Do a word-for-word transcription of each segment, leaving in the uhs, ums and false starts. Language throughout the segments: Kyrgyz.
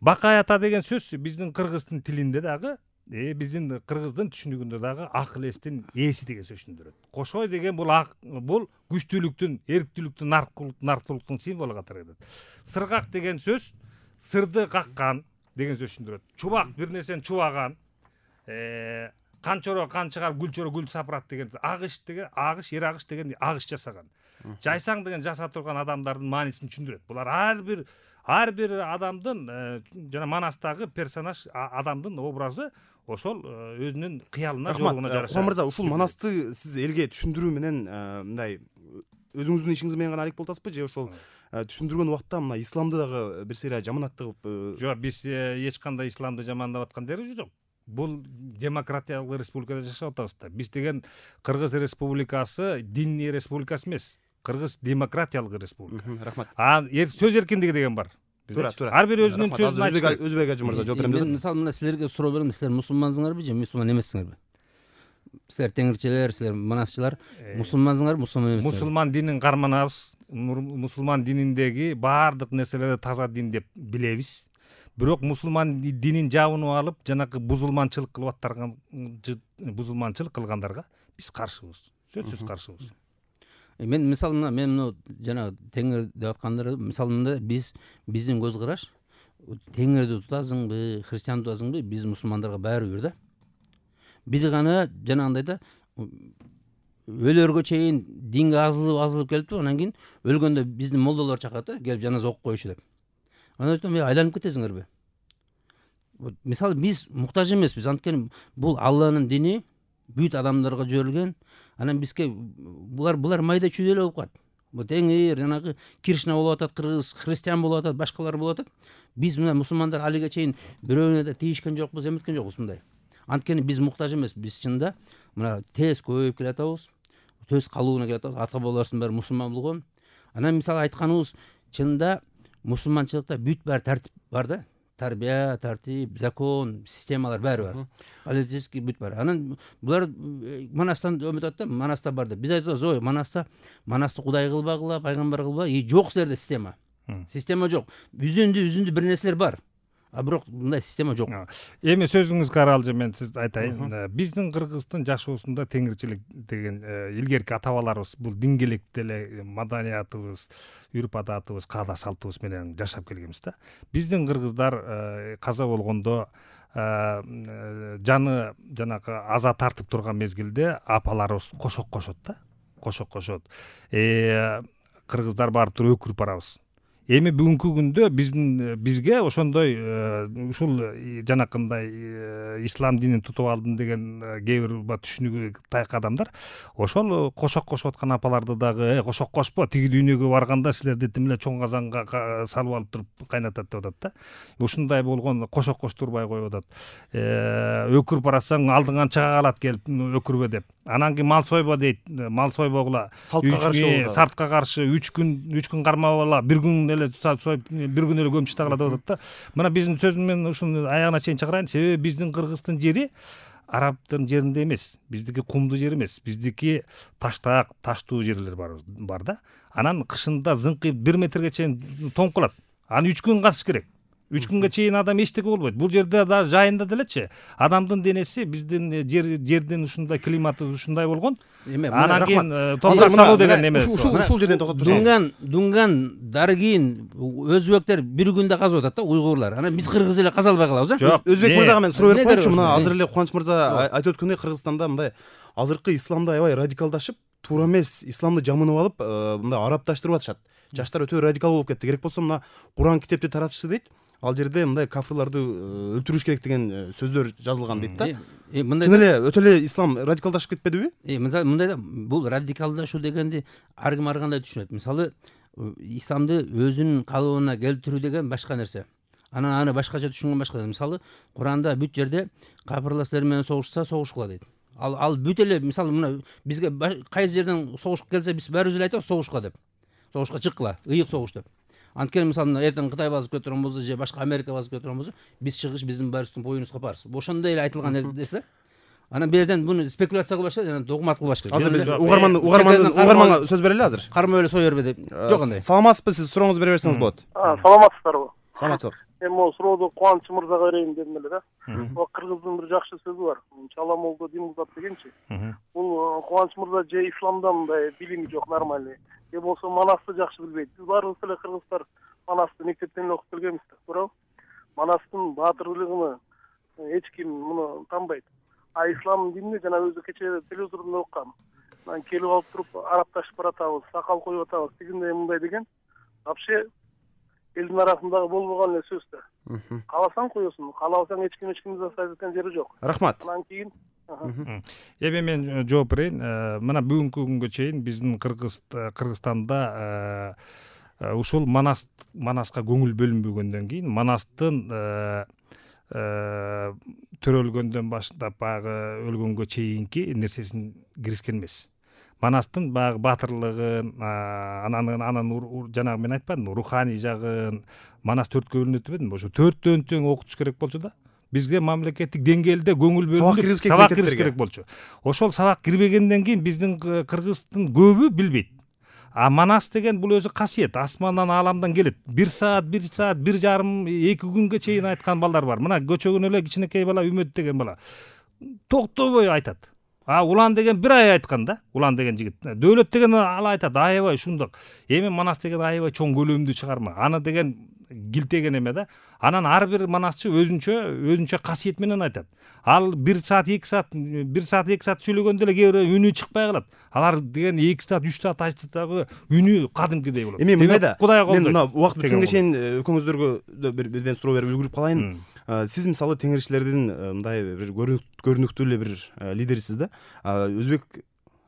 Бакай ата деген сөз биздин кыргыздын тилинде дагы, э биздин кыргыздын түшүнүгүндө дагы акыл эстин ээси деген сөз түшүндүрөт. Кошой деген бул бул күчтүүлүктүн, эрктүүлүктүн, нарктуулуктун символу катары кетет. Сыргак деген сөз сырды каккан деген сөз түшүндүрөт. Чубак бир нерсени чубаган, э канчоро канчыгар гүлчөрө гүл сапырат деген, агыш деген агыш, ер агыш деген агыш жасаган. Жайсаң деген жаса турган адамдардын маанисин түшүндүрөт. Булар ар бир ар бир адамдын жана Манастагы персонаж адамдын образы ошол өзүнүн кыялына жолугуна жараша. Курман мырза, ушул Манасты сиз элге түшүндүрүү менен мындай өзүңүздүн ишиңиз менен гана алек болуп атасызбы, же ошол түшүндүргөн убакта мына исламды дагы бир сыйра жаманаттык? Жок, биз эч кандай исламды жамандап аткан жерибиз жок. Бул демократиялык республикада жашап атабыз да. Биз деген Кыргыз Республикасы диний республикасы эмес. Кыргыз демократиялык республика. Рахмат. А сөз эркиндиги деген бар. Туура, туура. Ар бир өзүнүн сөзүн айтат. Өзбек ажы мырза жооп берем. Мен мисалы мына силерге суроо берем, силер мусулмансыңарбы же мусулман эмессиңерби? Силер теңирчилер, силер манасчылар мусулмансыңарбы, мусулман эмессиңерби? Мусулман динин карманабыз. Мусулман дининдеги баардык нерселерди таза дин деп билебиз. Бирок мусулман динин жабынып алып, жанакы бузулманчылык кылып аттарган бузулманчылык кылгандарга биз каршыбыз. Сөзсүз каршыбыз. Мен мисалы мына мен мына жана теңир деп аткандар, мисалы мында биз биздин көз караш теңирди тутасыңбы, христиан тутасыңбы, биз мусулмандарга баары бир да. Бир гана жанагындай да өлөргө чейин динге азылып азылып келиптир, анан кийин өлгөндө биздин молдолор чакырат да, келип жаназа окуп коюшу деп. Анан айтам, айланып кетесиңерби? Мисалы биз муктаж эмеспиз, анткени бул Алланын дини, бүт адамдарга жиберилген. Анан бизге булар булар майда чүйдө эле болуп калат. Бул теңир, жанагы Кришна болуп атат, кыргыз, христиан болуп атат, башкалар болуп атат. Биз мына мусулмандар алиге чейин бирөөнө да тийишкен жокпуз, эметкен жокпуз мындай. Анткени биз муктаж эмес, биз чында мына тез көбөйүп келатабыз, тез калууна келатабыз, ата бабаларыбыздын баары мусулман болгон. Анан мисалы айтканыбыз чында мусулманчылыкта бүт баары тартип бар да. Тарбия, тартип, закон, системалар баары бар. Политический бүт бар. Анан булар Манастан өмөт атат, Манаста бар деп. Биз айтабыз, ой, Манаста Манасты Кудай кылбагыла, пайгамбар кылба, и жок силерде система. Система жок. Үзүндү үзүндү бир нерселер бар. А бирок мындай система жок. Эми сөзүңүзгө каралжы мен сиз айтайын. Биздин Кыргыздын жашоосунда теңирчилик деген илгерки ата бабаларыбыз бул дингелик деле маданиятыбыз, үрп адатыбыз, каада салтыбыз менен жашап келгенбиз да. Биздин кыргыздар каза болгондо жаны жанагы аза тартып турган мезгилде апаларыбыз кошок кошот да. Кошок кошот. Э кыргыздар барып туруп өкүрүп барабыз. Эми бүгүнкү күндө биздин бизге ошондой ушул жанакындай ислам динин тутуп алдым деген кээ бир түшүнүгү таяк адамдар ошол кошок кошуп аткан апаларды дагы кошок кошпо, тиги дүйнөгө барганда силерди тим эле чоң казанга салып алып туруп кайнатат деп атат да. Ушундай болгон кошок коштурбай коюп атат. Өкүрүп баратсаң алдыңан чыга калат келип өкүрбө деп. Анан кийин мал сойбо дейт, мал сойбогула. Салтка каршы, сартка каршы үч күн үч күн кармабала, бир күн эле союп, бир күн эле көмүп чыгала деп атат да. Мына биздин сөзүм мен ушуну аягына чейин чыгарайын. Себеби биздин Кыргыздын жери арабтын жеринде эмес, биздики кумдуу жер эмес, биздики таштаак, таштуу жерлер бар бар да. Анан кышында зыңкыйып бир метрге чейин тоңуп калат. Аны үч күн касыш керек. үч күнгө чейин адам эчтеке болбойт. Бул жерде да жайында делечи адамдын денеси биздин жер жердин ушундай климаты ушундай болгон. Анан кийин топурак салуу деген неме. Ушул ушул жерден токтоп турсаңыз. Дунган, Дунган, Даргин, өзбектер бир күндө казып атат да, уйгурлар. Анан биз кыргыз эле каза албай калабыз, а? Өзбек мырзага мен суроо берип коеюнчу. Мына азыр эле Кубаныч мырза айтып өткөндөй, Кыргызстанда мындай азыркы исламды аябай радикалдашып, туура эмес исламды жамынып алып, мындай арабташтырып атышат. Жаштар өтө радикал болуп кетти. Керек болсо мына Куран китепти таратышты дейт. Ал жерде мындай кафырларды өлтүрүш керек деген сөздөр жазылган дейт да. Чын эле өтө эле ислам радикалдашып кетпедиби? Э, мисалы мындай да, бул радикалдашуу дегенди ар ким ар кандай түшүнөт. Мисалы, исламды өзүнүн калыбына келтирүү деген башка нерсе. Анан аны башкача түшүнгөн башка. Мисалы, Куранда бүт жерде капырлар силер менен согушса согушкула дейт. Ал ал бүт эле мисалы мына бизге кайсы жерден согуш келсе биз баарыбыз эле айтабыз согушкула деп. Согушка чыккыла, ыйык согуш деп. Анткени мисалы эртең Кытай басып кетирген болсо же башка Америка басып кетирген болсо, биз чыгыш биздин баарыбыздын боюнубузга барс. Ошондой эле айтылган нерсе да. Анан бул жерден буну спекуляция кылбаш керек, жана догмат кылбаш керек. Азыр биз угарман угарман угарманга сөз берели азыр. Карма эле сой бербе деп. Жок андай. Саламатсызбы, сиз сурооңузду бере берсеңиз болот. Саламатсыздарбы? Саламатчылык. эми могу суроодо Кубаныч мырзага берейин дедим эле да. Бул кыргыздын бир жакшы сөзү бар. Чаламолдо дин узат дегенчи. Бул Кубаныч мырза же исламда мындай билими жок нормальный, же болбосо манасты жакшы билбейт. Биз баарыбыз эле кыргыздар манасты мектептен окуп келгенбиз да, туурабы? Манастын баатырлыгын эч ким муну танбайт. А ислам динини жана өзү кечээ телевизордон оккам. Анан келип алып туруп арабташып баратабыз, сакал коюп атабыз, тигиндей мындай деген вообще элдин арасындагы болбогон эле сөз да. Кааласаң коесуң, каалабасаң эч ким эч кимди засадить эткен жери жок. Рахмат. Анан кийин эми мен жооп берейин. Мына бүгүнкү күнгө чейин биздин Кыргыз Кыргызстанда ушул манас манаска көңүл бөлүнбөгөндөн кийин манастын төрөлгөндөн баштап баягы өлгөнгө чейинки нерсесин киришкен эмес. Манастын баягы баатырлыгын, анан анан жанагы мен айтпадымбы, руханий жагын, манас төрткө бөлүнөт дебедимби? Ошо төрттөн тең окутуш керек болчу да. Бизге мамлекеттик деңгээлде көңүл бөлүнүп сабак кириш керек болчу. Ошол сабак кирбегенден кийин биздин кыргыздын көбү билбейт. А манас деген бул өзү касиет, асмандан ааламдан келет. Бир саат, бир саат, бир жарым, эки күнгө чейин айткан балдар бар. Мына көчөгөн эле кичинекей бала Үмөт деген бала токтобой айтат. А Улан деген бир ай айткан да. Улан деген жигит. Дөөлөт деген ал айтат, аябай ушундак. Эми манас деген аябай чоң көлөмдүү чыгарма. Аны деген килтеген эме да. Анан ар бир манасчы өзүнчө өзүнчө касиет менен айтат. Ал бир саат, эки саат, бир саат, эки саат сүйлөгөндө эле кээ бирөө үнү чыкпай калат. Алар деген эки саат, үч саат айтса дагы үнү кадимкидей болот. Эми мындай да. Мен мына убакыт бүткөнгө чейин чейин экөөңүздөргө бирден суроо берип үлгүрүп калайын. Сиз мисалы теңирчилердин мындай бир көрүнүктүү эле бир лидерисиз да. Өзбек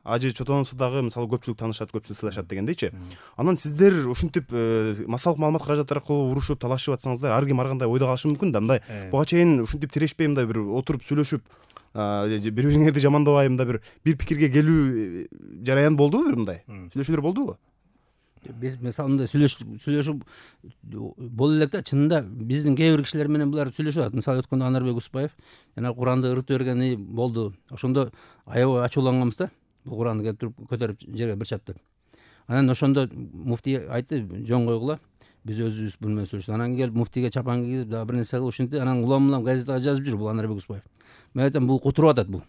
Ажы Чотоновду дагы мисалы көпчүлүк таанышат, көпчүлүк сыйлашат дегендейчи. Анан сиздер ушинтип массалык маалымат каражаттары аркылуу урушуп, талашып атсаңыздар, ар ким ар кандай ойдо калышы мүмкүн да. Мындай буга чейин ушинтип тирешпей мындай бир отуруп сүйлөшүп, бири-бириңерди жамандабай мындай бир бир пикирге келүү жараян болдубу, бир мындай сүйлөшүүлөр болдубу? Биз мисалы мындай сүйлөшүп сүйлөшүп боло элек да, чынында биздин кээ бир кишилер менен булар сүйлөшүп атат. Мисалы өткөндө Анарбек Успаев жана Куранды ырытып бергени болду. Ошондо аябай ачууланганбыз да. Бул Куранды келип туруп көтөрүп жерге бир чаптап. Анан ошондо муфтий айтты, жөн койгула, биз өзүбүз бул менен сүйлөшөбүз. Анан келип муфтийге чапан кийип, дагы бир нерсе кылып ушинтип, анан улам улам газетага жазып жүр бул Анарбек Успаев. Мен айтам, бул кутуруп атат бул.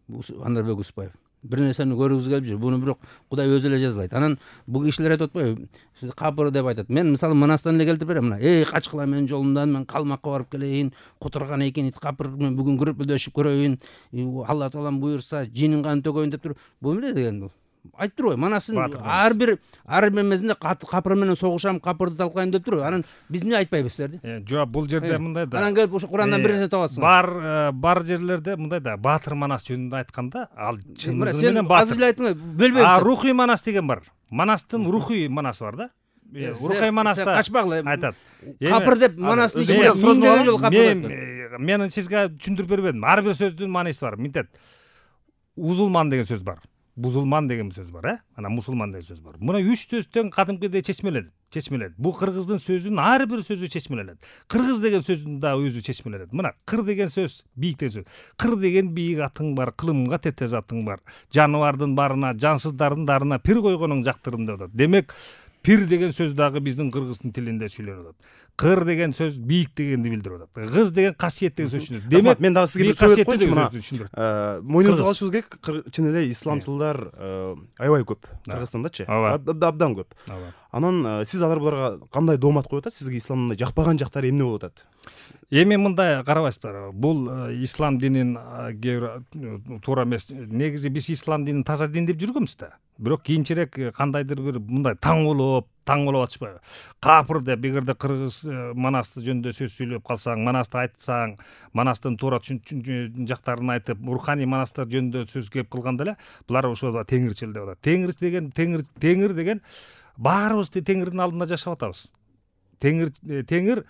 Бул Анарбек Успаев. Бир нерсени көргүзүп келип жүр. Буну бирок Кудай өзү эле жазалайт. Анан бул кишилер айтып атпайбы? Капыр деп айтат. Мен мисалы Манастан эле келтирип берем. Мына, эй, качкыла менин жолумдан, мен калмакка барып келейин, кутурган экен ит капыр, мен бүгүн күрөпөлдөшүп көрөйүн, Алла Таалам буйрса, жинин канын төгөйүн деп туруп. Бул эмне деген бул? Айтып турбайбы? Манастын ар бир ар бир эмесинде капыр менен согушам, капырды талкайм деп турбайбы? Анан биз эмне айтпайбыз силерди? Жок, бул жерде мындай да. Анан келип ошо Курандан бир нерсе табасың. Бар бар жерлерде мындай да, Баатыр Манас жөнүндө айтканда, ал чындыгы менен менен Баатыр. Азыр эле айттың, бөлбөйбүз. А рухий Манас деген бар. Манастын рухий Манасы бар да. Рухий Манаста качпагыла айтат. Капыр деп Манасты миңдеген жолу капыр деп. Мен сизге түшүндүрүп бербедим. Ар бир сөздүн мааниси бар. Мынтет. Узулман деген сөз бар. Бузулман деген сөз бар, э? Анан мусулман деген сөз бар. Мына үч сөздөн кадимкидей чечмеленет, чечмеленет. Бул кыргыздын сөзүнүн ар бир сөзү чечмеленет. Кыргыз деген сөздүн да өзү чечмеленет. Мына кыр деген сөз, бийик деген сөз. Кыр деген бийик атың бар, кылымга тетез атың бар. Жаныбардын барына, жансыздардын дарына пир койгонуң жактырым деп атат. Демек, пир деген сөз дагы биздин кыргыздын тилинде сүйлөнүп атат. Кыр деген сөз бийик дегенди билдирип атат. Кыз деген касиет деген сөз түшүнөт. Демек, мен дагы сизге бир суроо берип койчу, мына мойнуңузга алышыбыз керек. Чын эле исламчылар аябай көп Кыргызстандачы. Абдан көп. Анан сиз алар буларга кандай доомат коюп атасыз? Сизге исламдын жакпаган жактары эмне болуп атат? Эми мындай карабайсыздар. Бул ислам динин туура эмес. Негизи биз ислам динин таза дин деп жүргөнбүз да. Бирок кийинчерээк кандайдыр бир мындай таң болуп, таң болуп атышпайбы? Капыр деп эгерде кыргыз Манасты жөнүндө сөз сүйлөп калсаң, Манасты айтсаң, Манастын туура жактарын айтып, руханий Манастар жөнүндө сөз кеп кылганда эле, булар ошо теңирчил деп атат. Теңир деген теңир теңир деген баарыбыз теңирдин алдында жашап атабыз. Теңир теңир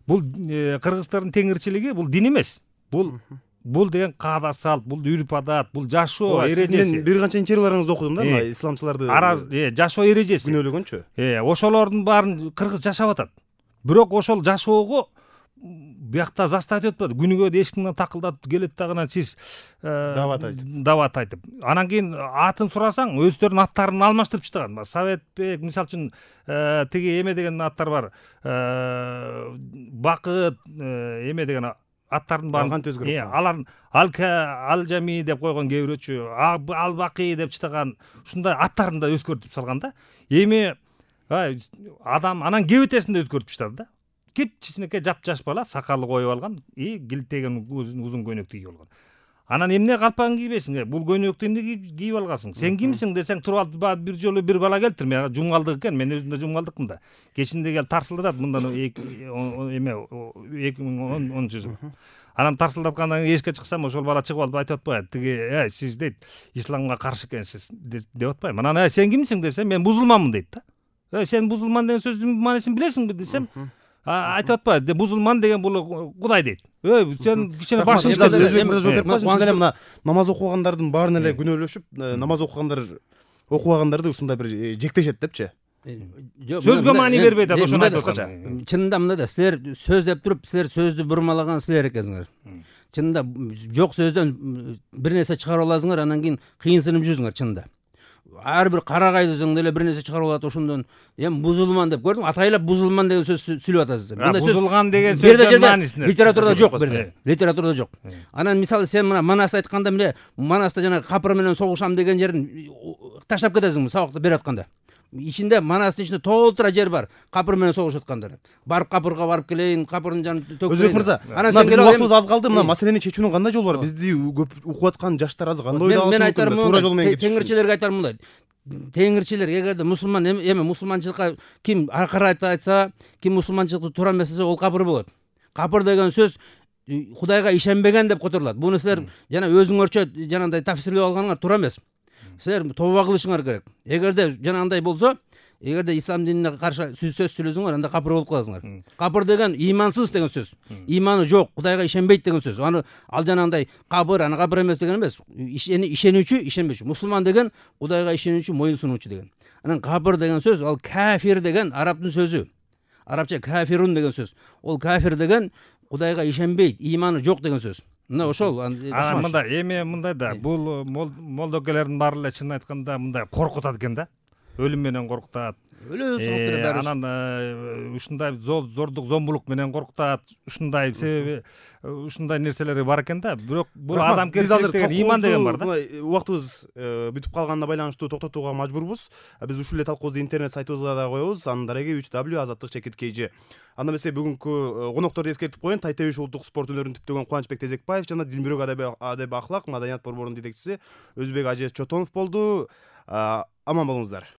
бул кыргыздардын теңирчилиги бул дин эмес. Бул бул деген каада салт, бул үрп адат, бул жашоо эрежеси. Мен бир канча интервьюларыңызды окудум да, мына исламчыларды. Э, жашоо эрежеси. Күнөөлөгөнчү. Э, ошолордун баарын кыргыз жашап атат. Бирок ошол жашоого биякта заставить этип атпады. Күнүгө эшиктен такылдатып келет дагы сиз дават айтып. дават айтып. Анан кийин атын сурасаң, өздөрүнүн аттарын алмаштырып чыгышат. Советбек, мисалы үчүн тиги эме деген аттар бар. Бакыт, эме деген аттардын баарын кантип өзгөрүп алар ал жами деп койгон кээ бирөөчү, ал бакый деп чыган ушундай аттарын да өзгөртүп салган да. Эми адам анан кебетесин да өзгөртүп чыгат да. Кичинекей жап-жаш бала сакалы коюп алган, и килтеген узун көйнөктү кийип алган. Анан эмне калпагын кийбейсиң? Бул көйнөктү эмне кийип алгансың? Сен кимсиң десең, туруп алып бир жолу бир бала келиптир. Мен жумгалдык экен, мен өзүм да жумгалдыкмын да. Кечинде келип тарсылдатат мындан эме эки миң онунчу жыл. Анан тарсылдаткандан кийин эшикке чыксам, ошол бала чыгып алып айтып атпайбы? Тиги, "Эй, сиз дейт, исламга каршы экенсиз" деп атпайбы? Анан "Эй, сен кимсиң" десем, "Мен мусулманмын" дейт да. "Эй, сен мусулман деген сөздүн маанисин билесиңби" десем, айтып атпайбы? Мусулман деген бул Кудай дейт. "Эй, сен кичине башың өзбек мырза жооп берип коесуңчу эле мына намаз окугандардын баарын эле күнөөлөшүп, намаз окугандар окубагандарды ушундай бир жектешет депчи. Сөзгө маани бербейт да, ошону айтып атам. Чынында мындай да, силер сөз деп туруп, силер сөздү бурмалаган силер экенсиңер. Чынында жок сөздөн бир нерсе чыгарып аласыңар, анан кийин кыйынсынып жүрсүңөр чынында. Ар бир карагайдысың деле бир нерсе чыгарып алат, ошондон эми мусулман деп көрдүң, атайлап мусулман деген сөз сүйлөп атасыз. Мындай сөз бузулган деген сөздүн маанисинде литературада жок, бирде. Литературада жок. Анан мисалы сен мына Манас айтканда мына Манаста жана капыр менен согушам деген жерин таштап кетесиңби сабакты берип атканда? Ичинде Манастын ичинде толтура жер бар. Капыр менен согушуп аткандар. Барып капырга барып келейин, капырдын жанын төкөйүн. Өзбек мырза, мына биздин убактыбыз аз калды. Мына маселени чечүүнүн кандай жолу бар? Бизди көп окуп аткан жаштар азыр кандай ойдо алышы мүмкүн? Туура жол менен кетиш. Теңирчилерге айтарым мындай. Теңирчилер эгерде мусулман эме мусулманчылыкка ким аркырайт айтса, ким мусулманчылыкты туура эмес десе, ол капыр болот. Капыр деген сөз Кудайга ишенбеген деп которулат. Буну силер жана өзүңөрчө жанагындай тафсирлеп алганыңар туура эмес. Силер тобо кылышыңар керек. Эгерде жанагындай болсо, эгерде ислам динине каршы сөз сүйлөсөңөр, анда капыр болуп каласыңар. Капыр деген имансыз деген сөз. Иманы жок, Кудайга ишенбейт деген сөз. Аны ал жанагындай капыр, аны капыр эмес деген эмес. Ишенүүчү, ишенбечү. Мусулман деген Кудайга ишенүүчү, моюн сунуучу деген. Анан капыр деген сөз, ал кафир деген арабтын сөзү. Арабча кафирун деген сөз. Ол кафир деген Кудайга ишенбейт, иманы жок деген сөз. Мына ошол. Анан мындай эме мындай да, бул молдокелердин баары эле чын айтканда мындай коркутат экен да. Өлүм менен коркутат. Өлө согуштура баары. Анан ушундай зордук, зомбулук менен коркутат. Ушундай себеби ушундай нерселери бар экен да. Бирок бул адамгерчилик деген, иман деген бар да. Убактыбыз бүтүп калганына байланыштуу токтотууга мажбурбуз. Биз ушул эле талкуубузду интернет сайтыбызга да коебуз. Анын дареги үч дабл ю азаттык чекит кей жи. Анда эмесе бүгүнкү конокторду эскертип коеюн. Тайтебиш улуттук спорт өнөрүн түптөгөн Кубанычбек Тезекбаев жана Дилмүрөк адеп ахлак маданият борборунун жетекчиси Өзбек Ажез Чотонов болду. Аман болуңуздар.